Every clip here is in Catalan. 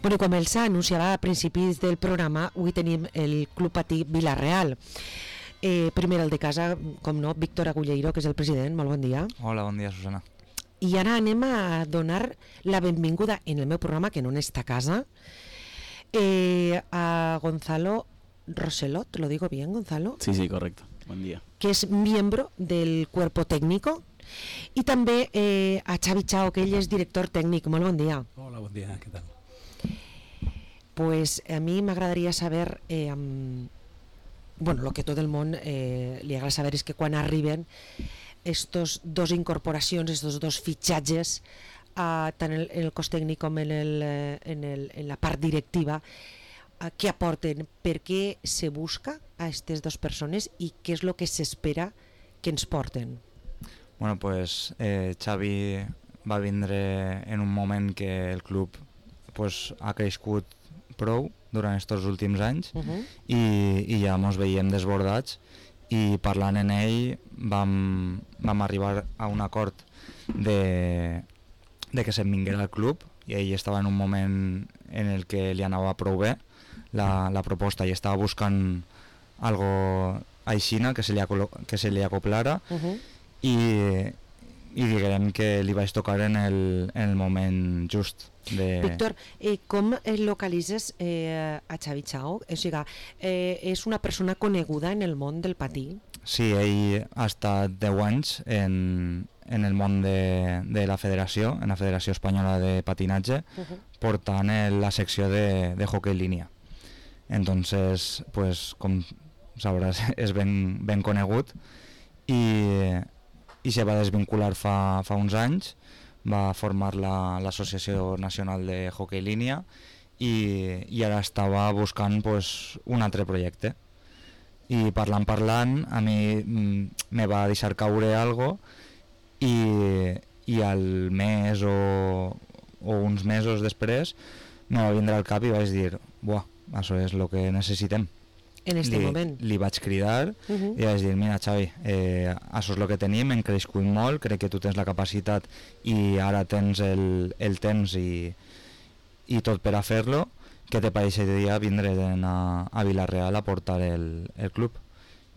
Bueno, com els anunciava a principis del programa, avui tenim el Club Patí Vila-real. Primer el de casa, com no, Víctor Agulleiro, que és el president. Molt bon dia. Hola, bon dia, Susana. I ara anem a donar la benvinguda en el meu programa, que no n'està a casa, a Gonzalo Roselot. ¿Lo digo bien, Gonzalo? Sí, sí, correcto. Buen día. Que es miembro del cuerpo técnico. I també a Xavi Chao, que ell és director tècnic. Molt bon dia. Hola, bon dia, què tal? Pues a mí me agradaría saber, bueno, lo que todo el mundo le agrada saber es que cuando arriben estos dos incorporacions, estos dos fitxatges, tant en el cos tècnic com en la part directiva, què aporten, per què se busca a aquestes dues persones i què és el que s'espera que ens porten? Bueno, pues Xavi va vindre en un moment que el club pues, ha crescut prou durant aquests últims anys i ja ens veiem desbordats i parlant en ell vam arribar a un acord de que se'n vinguera al club i ell estava en un moment en el que li anava prou bé la proposta i estava buscant algo aixina que se li acoplara i diguem que li vaig tocar en el moment just. Víctor, com localitzes a Xavi Chao? O sigui, és una persona coneguda en el món del patí? Sí, ell ha estat 10 anys en el món de la federació, en la Federació Espanyola de Patinatge, portant la secció de hockey línia. Entonces, pues, com sabràs, és ben conegut i se va desvincular fa uns anys, va formar l'Associació Nacional de Hockey Línia i ara estava buscant pues, un altre projecte. I parlant, a mi me va deixar caure algo i al mes o uns mesos després me va vindre al cap i vaig dir, buah, això és el que necessitem. En este moment. Li vaig cridar i vaig dir, mira Xavi, això és el que tenim, hem crescut molt, crec que tu tens la capacitat i ara tens el temps i tot per a fer-lo, què te pareixeria vindre a Vila-real a portar el club?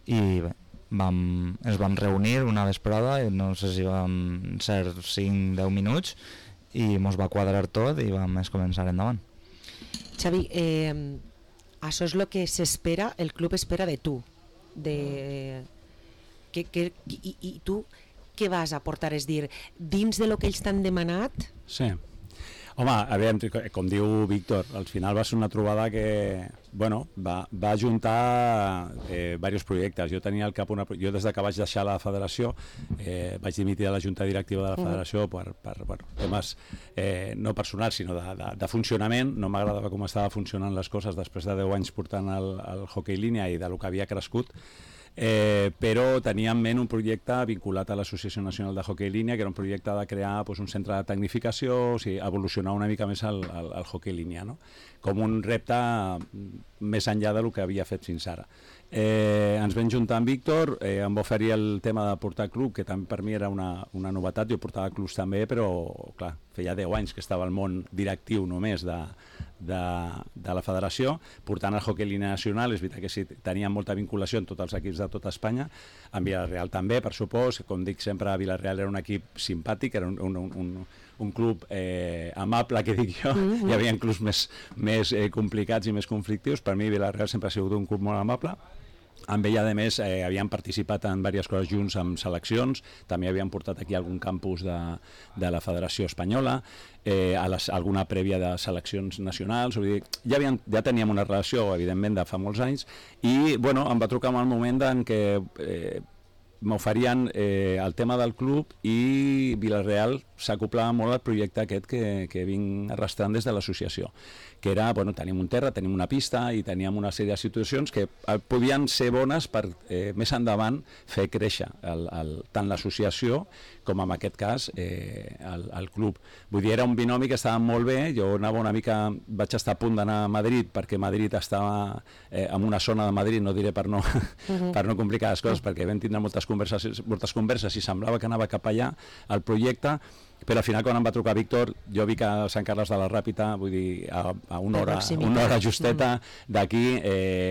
I bé, ens vam reunir una vesprada, no sé si vam ser 5-10 minuts i ens va quadrar tot i vam començar endavant. Xavi, això és el que s'espera, el club espera de tu. I tu què vas a aportar? És dir, dins de lo que ells t'han demanat? Sí. Home, a veure, com diu Víctor, al final va ser una trobada que, bueno, va ajuntar diversos projectes. Jo tenia al cap jo des que vaig deixar la federació vaig dimitir de la junta directiva de la federació per temes no personals sinó de funcionament. No m'agradava com estava funcionant les coses després de 10 anys portant el hockey línia i del que havia crescut. Però tenia en ment un projecte vinculat a l'Associació Nacional de Hockey Línia, que era un projecte de crear un centre de tecnificació, o sigui, evolucionar una mica més el hockey línia, no? Com un repte més enllà del que havia fet fins ara. Ens vam juntar amb Víctor, em va oferir el tema de portar club, que també per mi era una novetat. Jo portava clubs també, però clar, feia 10 anys que estava al món directiu només de la federació, portant el hockey línia nacional. És veritat que sí, teníem molta vinculació amb tots els equips de tota Espanya, amb Vila-real també, per supòs. Com dic sempre, Vila-real era un equip simpàtic, era un club amable, que dic jo. Hi havia clubs més complicats i més conflictius. Per mi Vila-real sempre ha sigut un club molt amable. Amb ell, a més, havien participat en diverses coses junts amb seleccions, també havien portat aquí algun campus de la Federació Espanyola, alguna prèvia de seleccions nacionals, vull dir, ja teníem una relació, evidentment, de fa molts anys, i bueno, em va trucar en el moment en què m'oferien el tema del club i Vila-real s'acoplava molt al projecte aquest que vinc arrastrant des de l'associació, que era, bueno, tenim un terra, tenim una pista i teníem una sèrie de situacions que podien ser bones per més endavant fer créixer tant l'associació com en aquest cas el club. Vull dir, era un binomi que estava molt bé. Jo anava una mica, vaig estar a punt d'anar a Madrid perquè Madrid estava en una zona de Madrid, no diré per no complicar les coses, perquè vam tindre moltes converses i semblava que anava cap allà el projecte, però al final quan em va trucar Víctor, jo vi que a Sant Carles de la Ràpita, vull dir, a una hora justeta d'aquí,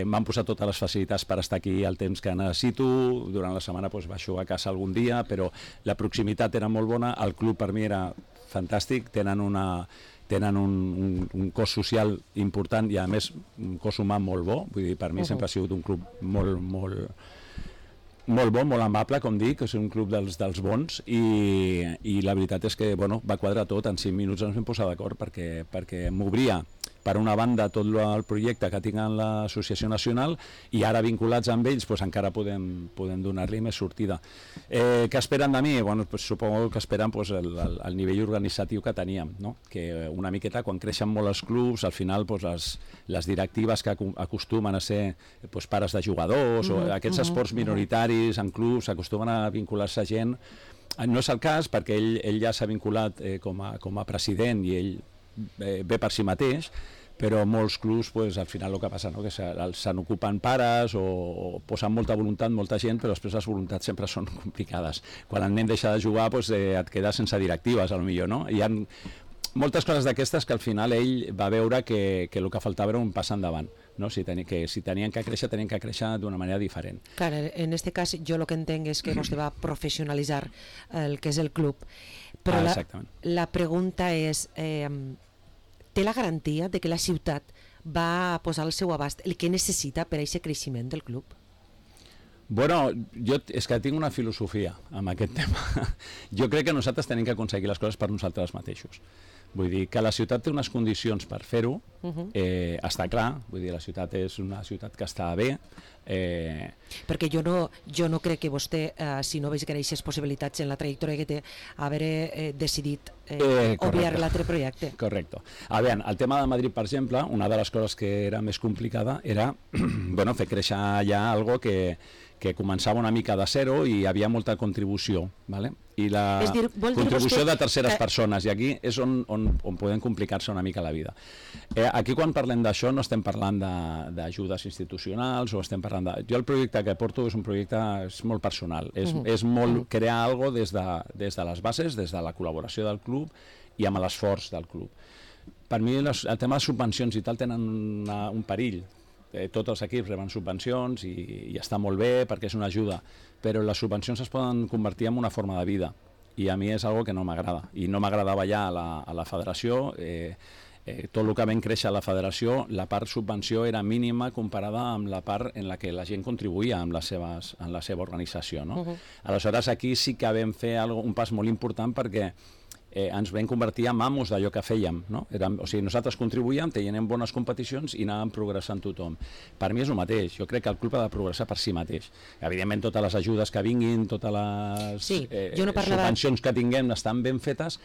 m'han posat totes les facilitats per estar aquí el temps que necessito, durant la setmana baixo a casa algun dia, però la proximitat era molt bona, el club per mi era fantàstic, tenen un cos social important i a més un cos humà molt bo, vull dir, per mi sempre ha sigut un club molt bo, molt amable, com dic, és un club dels bons i la veritat és que va quadrar tot, en 5 minuts ens vam posar d'acord perquè m'obria per una banda tot el projecte que tinc en l'Associació Nacional i ara vinculats amb ells encara podem donar-li més sortida. Què esperen de mi? Suposo que esperen el nivell organitzatiu que teníem, no? Que una miqueta quan creixen molt els clubs, al final les directives que acostumen a ser pares de jugadors o aquests esports minoritaris en clubs acostumen a vincular-se gent. No és el cas perquè ell ja s'ha vinculat com a president i ell ve per si mateix, però molts clubs al final el que passa que se n'ocupen pares o posen molta voluntat, molta gent, però després les voluntats sempre són complicades. Quan el nen deixa de jugar et quedes sense directives, potser, no? Hi ha moltes coses d'aquestes que al final ell va veure que el que faltava era un pas endavant, no? Si tenien que créixer d'una manera diferent. Clar, en aquest cas jo el que entenc és que vostè va professionalitzar el que és el club, però la pregunta és, té la garantia de que la ciutat va posar al seu abast el que necessita per a aquest creixement del club? Jo és que tinc una filosofia amb aquest tema. Jo crec que nosaltres tenim que aconseguir les coses per nosaltres mateixos. Vull dir que la ciutat té unes condicions per fer-ho, està clar, vull dir, la ciutat és una ciutat que està bé. Perquè jo no crec que vostè, si no veig greixes possibilitats en la trajectòria que té, haver decidit obviar l'altre projecte. Correcte. A veure, el tema de Madrid, per exemple, una de les coses que era més complicada era fer créixer ja algo que començava una mica de zero i hi havia molta contribució, ¿vale? I la contribució de terceres persones, i aquí és on podem complicar-se una mica la vida. Aquí quan parlem d'això no estem parlant d'ajudes institucionals o estem parlant de... Jo el projecte que porto és un projecte molt personal, és molt crear alguna cosa des de les bases, des de la col·laboració del club i amb l'esforç del club. Per mi el tema de subvencions i tal tenen un perill. Tots els equips reben subvencions i està molt bé perquè és una ajuda, però les subvencions es poden convertir en una forma de vida i a mi és algo que no m'agrada i no m'agradava ja a la federació. Tot el que vam créixer a la federació, la part subvenció era mínima comparada amb la part en la que la gent contribuïa en la seva organització, no? Aleshores aquí sí que vam fer un pas molt important perquè ens vam convertir en amos d'allò que fèiem, no? O sigui, nosaltres contribuïem, teníem bones competicions i anàvem progressant tothom. Per mi és el mateix, jo crec que el club ha de progressar per si mateix. Evidentment totes les ajudes que vinguin, totes les subvencions que tinguem estan ben fetes,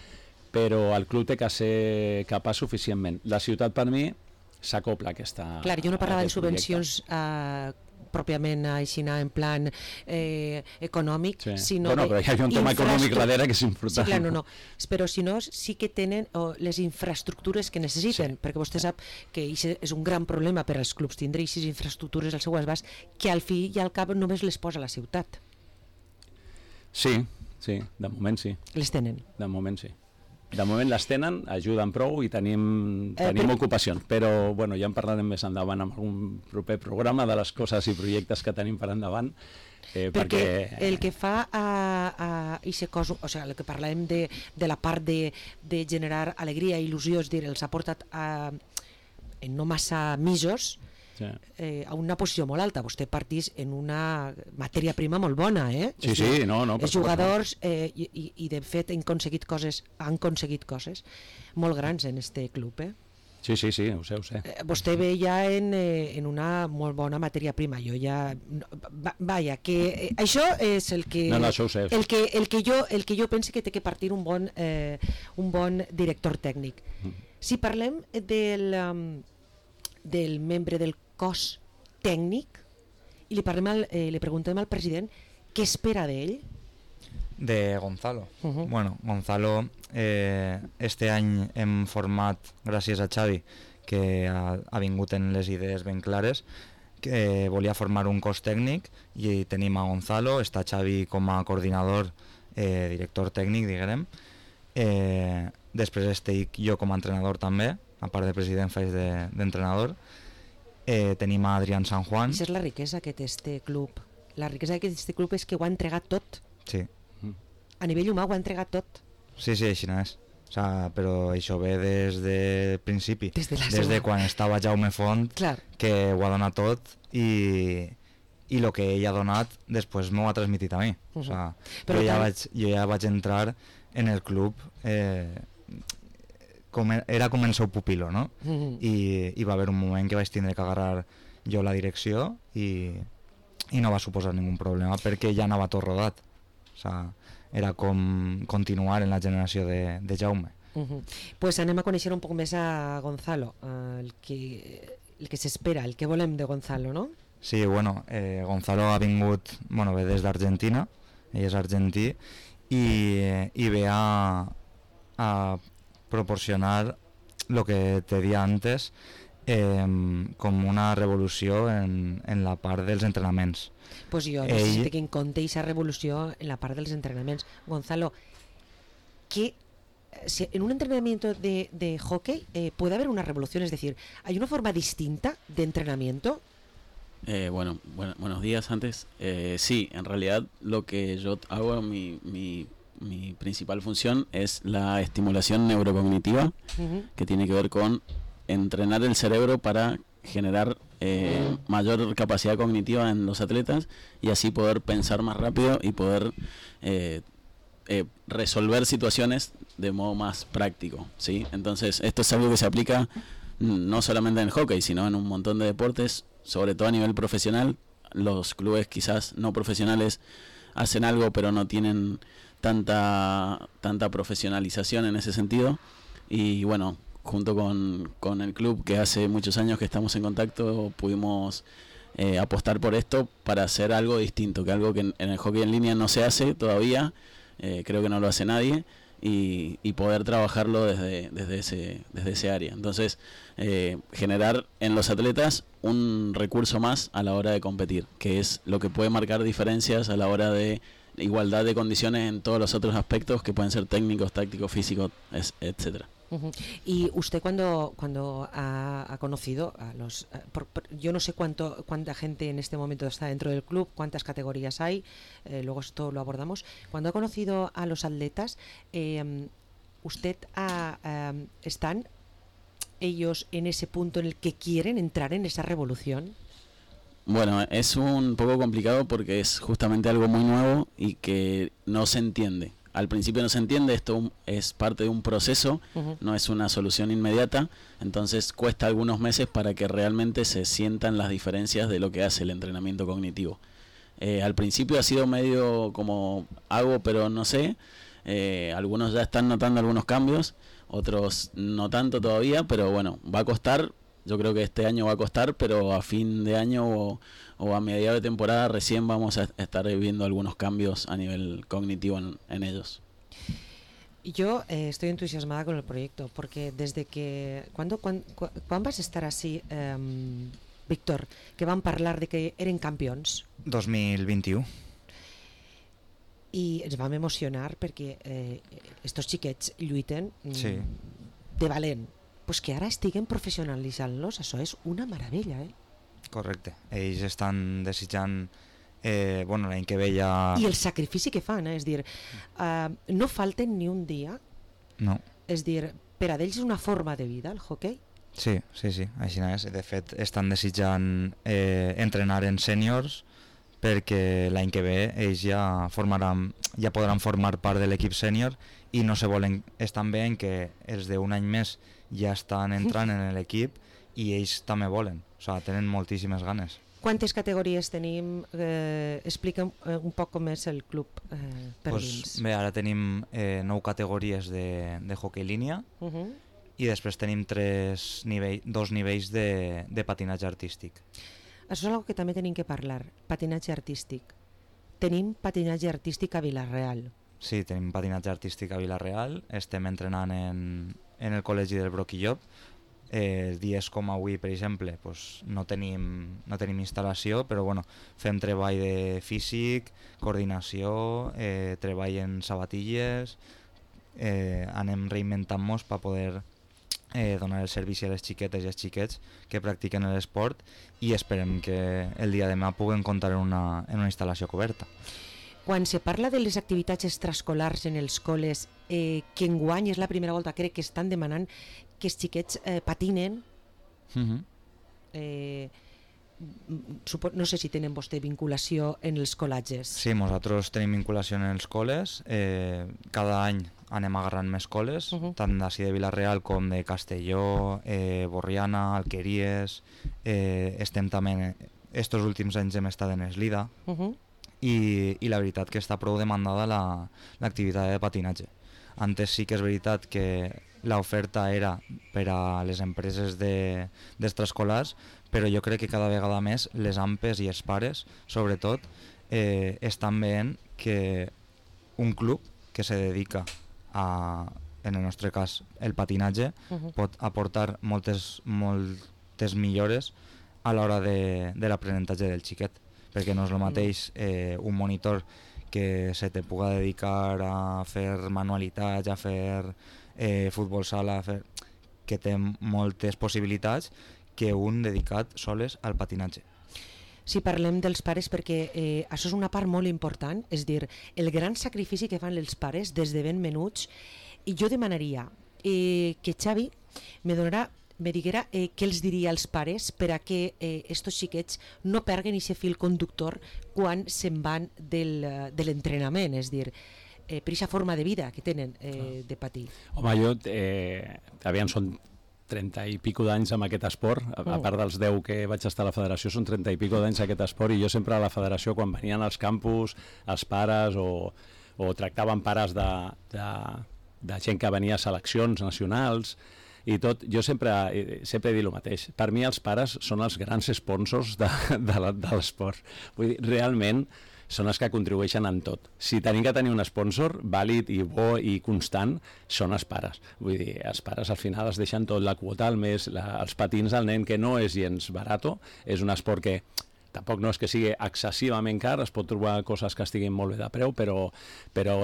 però el club té que ser capaç suficientment. La ciutat per mi s'acopla a aquesta... Clar, jo no parlava de subvencions pròpiament així en plan econòmic, sinó... Però hi ha un tema econòmic darrere que és important. Sí, clar, no. Però si no, sí que tenen les infraestructures que necessiten, perquè vostè sap que és un gran problema per als clubs tindre aquestes infraestructures al seu abast, que al fi i al cap només les posa la ciutat. Sí, de moment sí. Les tenen? De moment sí. De moment les tenen, ajuden prou i tenim ocupacions, però ja en parlarem més endavant en algun proper programa de les coses i projectes que tenim per endavant. Perquè el que fa a aquest cos, o sigui, el que parlem de la part de generar alegria i il·lusió, és dir, els ha portat en no massa mesos a una posició molt alta. Vostè partís en una matèria prima molt bona, Sí, no. Els jugadors, i de fet han aconseguit coses molt grans en este club, Sí, ho sé. Vostè ve ja en una molt bona matèria prima. Jo ja... Vaja, que això és el que... No, això ho sé. El que jo penso que té que partir un bon director tècnic. Si parlem del membre del cos tècnic i li preguntem al president què espera d'ell. De Gonzalo. Bueno, Gonzalo, este any hem format, gràcies a Xavi, que ha vingut en les idees ben clares, que volia formar un cos tècnic i tenim a Gonzalo, està Xavi com a coordinador, director tècnic, diguem. Després estic jo com a entrenador també, a part de president faig d'entrenador. Tenim a Adrián San Juan. Això és la riquesa que té este club. La riquesa que té este club és que ho ha entregat tot. Sí. A nivell humà ho ha entregat tot. Sí, així no és. O sea, però això ve des de principi. Des de quan estava Jaume Font, clar, que ho ha donat tot i el que ell ha donat després m'ho ha transmitit a mi. O sea, jo ja vaig entrar en el club era com el seu pupilo, no? I va haver un moment que vaig tindre que agarrar jo la direcció i no va suposar ningun problema perquè ja anava tot rodat. O sea, era com continuar en la generació de Jaume. Pues anem a conèixer un poc més a Gonzalo, el que s'espera, el que volem de Gonzalo, no? Sí, bueno, Gonzalo ha vingut, bueno, ve des d'Argentina, ell és argentí, i ve a proporcionar lo que te di antes, com una revolució en la part dels entrenaments. Pues jo necessito que en compte aquesta revolució en la part dels entrenaments. Gonzalo, si en un entrenamiento de hockey puede haber una revolución, es decir, ¿hay una forma distinta de entrenamiento? Buenos días antes. Sí, en realidad lo que yo hago, mi principal función es la estimulación neurocognitiva, que tiene que ver con entrenar el cerebro para generar mayor capacidad cognitiva en los atletas y así poder pensar más rápido y poder resolver situaciones de modo más práctico, ¿sí? Entonces esto es algo que se aplica no solamente en el hockey, sino en un montón de deportes, sobre todo a nivel profesional. Los clubes quizás no profesionales hacen algo pero no tienen tanta profesionalización en ese sentido, y bueno, junto con el club, que hace muchos años que estamos en contacto, pudimos apostar por esto para hacer algo distinto, que algo que en el hockey en línea no se hace todavía, creo que no lo hace nadie, y poder trabajarlo desde ese área. Entonces, generar en los atletas un recurso más a la hora de competir, que es lo que puede marcar diferencias a la hora de igualdad de condiciones en todos los otros aspectos que pueden ser técnicos, tácticos, físicos, etcétera. Y usted cuando ha conocido a los... yo no sé cuánta gente en este momento está dentro del club, cuántas categorías hay, luego esto lo abordamos. Cuando ha conocido a los atletas, ¿usted están ellos en ese punto en el que quieren entrar en esa revolución? Bueno, es un poco complicado porque es justamente algo muy nuevo y que no se entiende. Al principio no se entiende, esto es parte de un proceso, no es una solución inmediata, entonces cuesta algunos meses para que realmente se sientan las diferencias de lo que hace el entrenamiento cognitivo. Al principio ha sido medio como hago pero no sé, algunos ya están notando algunos cambios, otros no tanto todavía, pero bueno, va a costar. Yo creo que este año va a costar, pero a fin de año o a mediados de temporada recién vamos a estar viendo algunos cambios a nivel cognitivo en ellos. Yo estoy entusiasmada con el proyecto, porque desde que... ¿Cuándo vas a estar así, Víctor, que van parlar de que eren campions? 2021. I ens vam emocionar perquè estos xiquets lluiten de valent. Pues que ara estiguen professionalitzant-los, això és una meravella, Correcte, ells estan desitjant l'any que ve ja... I el sacrifici que fan, és dir, no falten ni un dia. No. És dir, per a ells és una forma de vida, el hockey? Sí, així és. De fet, estan desitjant entrenar en sèniors perquè l'any que ve ells ja podran formar part de l'equip sènior i no se volen, estan bé en que els d'un any més ja estan entrant en l'equip i ells també volen, o sigui, tenen moltíssimes ganes. Quantes categories tenim? Explica'm un poc com és el club per dins. Bé, ara tenim 9 categories de hoquei línia i després tenim 2 nivells de patinatge artístic. Això és una cosa que també tenim que parlar, patinatge artístic. Tenim patinatge artístic a Vila-real. Sí, tenim patinatge artístic a Vila-real, estem entrenant en el col·legi del Broquillop, dies com avui, per exemple, pues, no tenim instal·lació, però bueno, fem treball de físic, coordinació, treball en sabatilles, anem reinventant-nos per poder donar el servici a les xiquetes i als xiquets que practiquen l'esport, i esperem que el dia de demà puguen comptar en una instal·lació coberta. Quan se parla de les activitats extraescolars en els col·les, que enguany és la primera volta, crec que estan demanant que els xiquets patinen. No sé si tenen vostè vinculació en els col·latges. Sí, nosaltres tenim vinculació en els col·les. Cada any anem agarrant més col·les, tant d'ací de Vila-real com de Castelló, Borriana, Alqueries. Estem també, estos últims anys hem estat en Eslida, i la veritat que està prou demandada l'activitat de patinatge. Antes sí que és veritat que l'oferta era per a les empreses d'extraescolars, però jo crec que cada vegada més les AMPEs i els pares, sobretot, estan veient que un club que se dedica a, en el nostre cas, el patinatge, pot aportar moltes millores a l'hora de l'aprenentatge del xiquet, perquè no és el mateix un monitor que se te puga dedicar a fer manualitats, a fer futbol sala, que té moltes possibilitats, que un dedicat soles al patinatge. Si parlem dels pares, perquè això és una part molt important, és dir, el gran sacrifici que fan els pares des de ben menuts, i jo demanaria que Xavi me diguera què els diria als pares per a que estos xiquets no perguen aquest fil conductor quan se'n van de l'entrenament, és dir, per aquesta forma de vida que tenen de patir. Home, jo, aviam, són 30 i pico d'anys amb aquest esport, a part dels 10 que vaig estar a la federació, són 30 i pico d'anys aquest esport, i jo sempre a la federació, quan venien als campus, els pares, o tractaven pares de gent que venia a seleccions nacionals i tot, jo sempre he dit el mateix. Per mi els pares són els grans sponsors de l'esport. Vull dir, realment són els que contribueixen en tot. Si tenim que tenir un sponsor vàlid i bo i constant, són els pares. Vull dir, els pares al final es deixen tot, la quota al mes, els patins al nen, que no és gens barato, és un esport que tampoc no és que sigui excessivament car, es pot trobar coses que estiguin molt bé de preu, però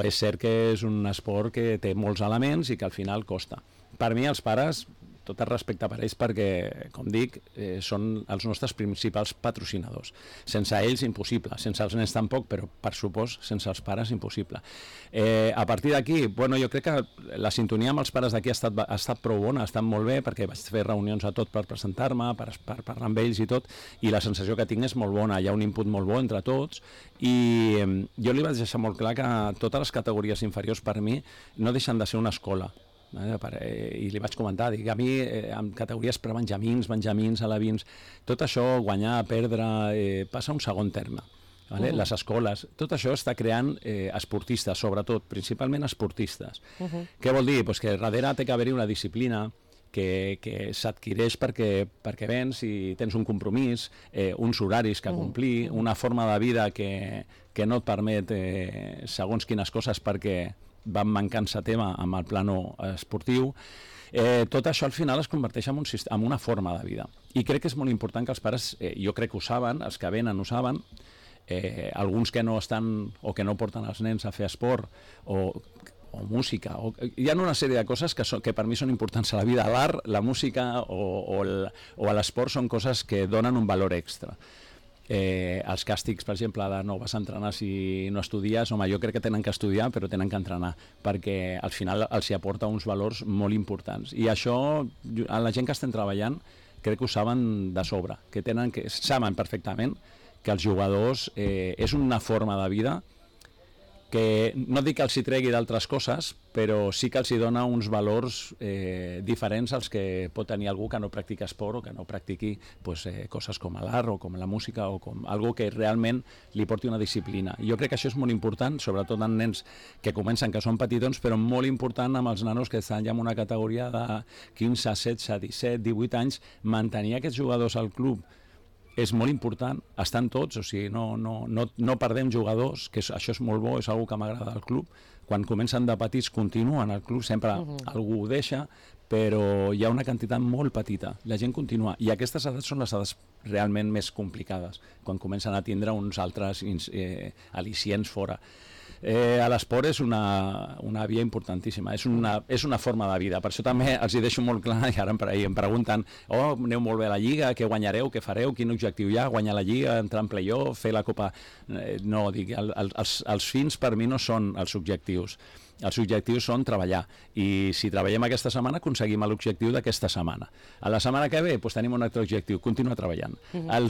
és cert que és un esport que té molts elements i que al final costa. Per mi els pares, tot el respecte per ells, perquè, com dic, són els nostres principals patrocinadors. Sense ells, impossible. Sense els nens tampoc, però per supost, sense els pares, impossible. A partir d'aquí, bueno, jo crec que la sintonia amb els pares d'aquí ha estat prou bona, ha estat molt bé, perquè vaig fer reunions a tot per presentar-me, per parlar amb ells i tot, i la sensació que tinc és molt bona, hi ha un input molt bo entre tots, i jo li vaig deixar molt clar que totes les categories inferiors per mi no deixen de ser una escola. I li vaig comentar, dic, a mi en categories prebenjamins, benjamins, alevins, tot això, guanyar, perdre, passa a un segon terme. Les escoles, tot això està creant esportistes, sobretot, principalment esportistes. Què vol dir? Pues que darrere té que haver-hi una disciplina que s'adquireix perquè vens i tens un compromís, uns horaris que complir, una forma de vida que no et permet segons quines coses perquè van mancant-se tema amb el plano esportiu. Tot això al final es converteix en una forma de vida. I crec que és molt important que els pares, jo crec que ho saben, els que venen ho saben, alguns que no estan o que no porten els nens a fer esport o música, hi ha una sèrie de coses que per mi són importants a la vida. L'art, la música o l'esport són coses que donen un valor extra. Els càstigs, per exemple, de no vas a entrenar si no estudies, home, jo crec que tenen que estudiar però tenen que entrenar, perquè al final els hi aporta uns valors molt importants, i això a la gent que estem treballant crec que ho saben de sobre, que saben perfectament que els jugadors és una forma de vida que no dic que els hi tregui d'altres coses, però sí que els hi dona uns valors diferents als que pot tenir algú que no practica esport o que no practiqui coses com l'art o com la música o com algo que realment li porti una disciplina. Jo crec que això és molt important, sobretot en nens que comencen, que són petitons, però molt important amb els nanos que estan ja en una categoria de 15, 16, 17, 18 anys, mantenir aquests jugadors al club és molt important, estan tots, o sigui, no perdem jugadors, que això és molt bo, és una cosa que m'agrada del club. Quan comencen de petits continuen al club, sempre algú ho deixa, però hi ha una quantitat molt petita, la gent continua, i aquestes edats són les edats realment més complicades, quan comencen a tindre uns altres al·licients fora. L'esport és una via importantíssima, és una forma de vida, per això també els hi deixo molt clar, i ara em pregunten aneu molt bé a la Lliga, què guanyareu, què fareu, quin objectiu hi ha, guanyar la Lliga, entrar en play-off, fer la Copa... No, dic, els fins per mi no són els objectius. Els objectius són treballar, i si treballem aquesta setmana aconseguim l'objectiu d'aquesta setmana. A la setmana que ve tenim un altre objectiu, continuar treballant. El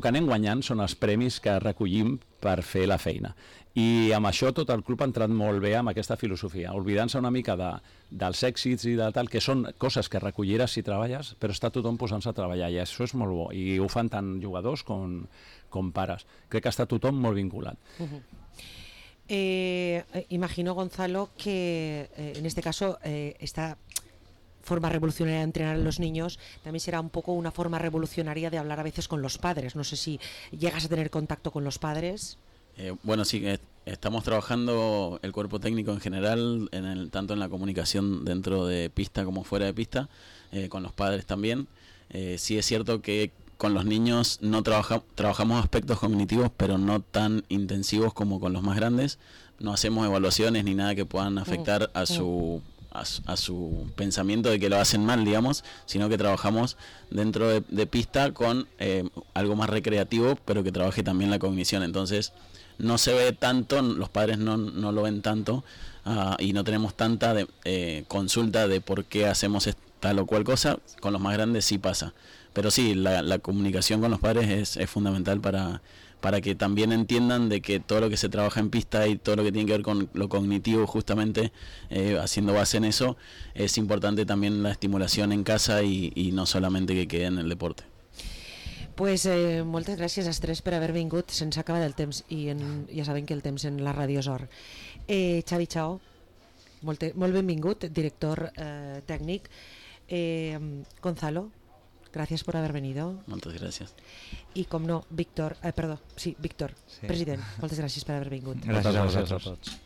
que anem guanyant són els premis que recollim per fer la feina, i amb això tot el club ha entrat molt bé amb aquesta filosofia, oblidant-se una mica dels èxits i de tal, que són coses que recolliràs si treballes, però està tothom posant-se a treballar, i això és molt bo, i ho fan tant jugadors com pares. Crec que està tothom molt vinculat. Imagino, Gonzalo, que en este caso esta forma revolucionaria de entrenar a los niños también será un poco una forma revolucionaria de hablar a veces con los padres. No sé si llegas a tener contacto con los padres. Bueno, sí, estamos trabajando el cuerpo técnico en general, tanto en la comunicación dentro de pista como fuera de pista, con los padres también. Sí es cierto que con los niños no trabajamos aspectos cognitivos, pero no tan intensivos como con los más grandes. No hacemos evaluaciones ni nada que puedan afectar a su pensamiento de que lo hacen mal, digamos, sino que trabajamos dentro de pista con algo más recreativo, pero que trabaje también la cognición. Entonces no se ve tanto, los padres no lo ven tanto, y no tenemos tanta consulta de por qué hacemos tal o cual cosa. Con los más grandes sí pasa. Pero sí, la comunicación con los padres es fundamental para que también entiendan de que todo lo que se trabaja en pista y todo lo que tiene que ver con lo cognitivo, justamente haciendo base en eso, es importante también la estimulación en casa y no solamente que quede en el deporte. Pues moltes gràcies als tres per haver vingut. Se'ns ha acabat el temps, i ja sabem que el temps en la ràdio és or. Xavi Chao, molt benvingut, director tècnic. Gonzalo, gracias por haber venido. Muchas gracias. Y com no, Víctor, Víctor, sí. President, moltes gràcies per haver vingut. Gràcies a vosaltres.